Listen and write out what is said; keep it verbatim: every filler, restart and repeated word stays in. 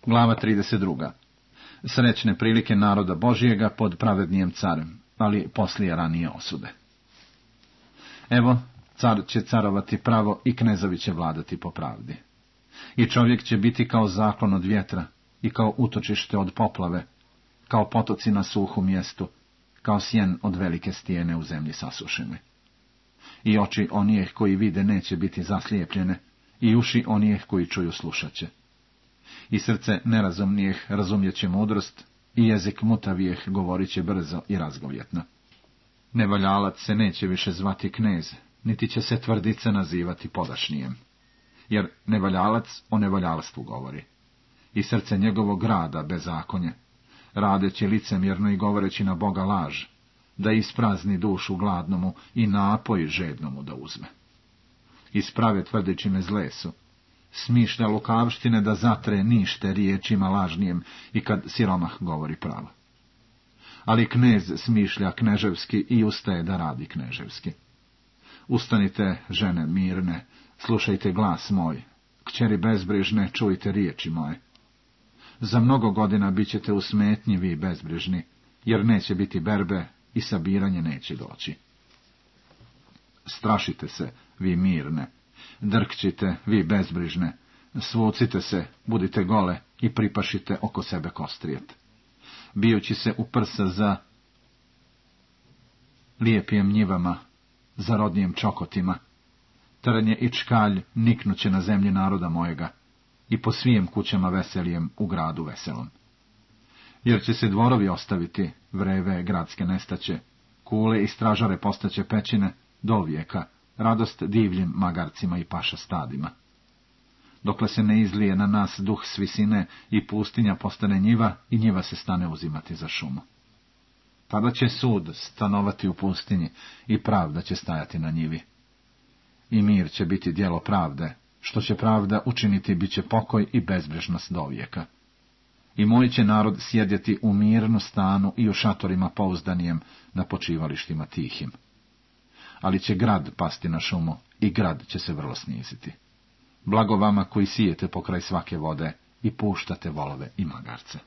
Glava trideset druga. Srećne prilike naroda Božijega pod pravednijem carem, ali poslije ranije osude. Evo, car će carovati pravo i knezovi će vladati po pravdi. I čovjek će biti kao zaklon od vjetra i kao utočište od poplave, kao potoci na suhu mjestu, kao sjen od velike stijene u zemlji sasušene. I oči onijeh koji vide neće biti zaslijepljene, i uši onijeh koji čuju slušat će. I srce nerazumnijeh razumjet će mudrost, i jezik mutavijeh govorit će brzo i razgovjetno. Nevaljalac se neće više zvati knez, niti će se tvrdice nazivati podašnijem. Jer nevaljalac o nevaljalstvu govori. I srce njegovog rada bezakonje, radeći licemjerno i govoreći na Boga laž, da isprazni dušu gladnomu i napoj žednomu da uzme. Isprave tvrdeći zle su, smišlja lukavštine da zatre nište riječima lažnijem i kad siromah govori pravo. Ali knez smišlja kneževski i ustaje da radi kneževski. Ustanite, žene mirne, slušajte glas moj, kćeri bezbrižne, čujte riječi moje. Za mnogo godina bit ćete u smetnji vi bezbrižni, jer neće biti berbe i sabiranje neće doći. Strašite se, vi mirne, drkćite, vi bezbrižne, svucite se, budite gole i pripašite oko sebe kostrijet. Bijući se u prsa za lijepijem njivama, za rodnijem čokotima, trnje i čkalj niknuće na zemlji naroda mojega, i po svijem kućama veselijem u gradu veselom. Jer će se dvorovi ostaviti, vreve gradske nestaće, kule i stražare postaće pećine, do vijeka, radost divljim magarcima i paša stadima. Dokle se ne izlije na nas duh s visine i pustinja postane njiva i njiva se stane uzimati za šumu. Tada će sud stanovati u pustinji i pravda će stajati na njivi. I mir će biti djelo pravde, što će pravda učiniti bit će pokoj i bezbrižnost do vijeka. I moj će narod sjedjeti u mirnu stanu i u šatorima pouzdanijem na počivalištima tihim. Ali će grad pasti na šumu i grad će se vrlo sniziti. Blago vama koji sijete pokraj svake vode i puštate volove i magarce.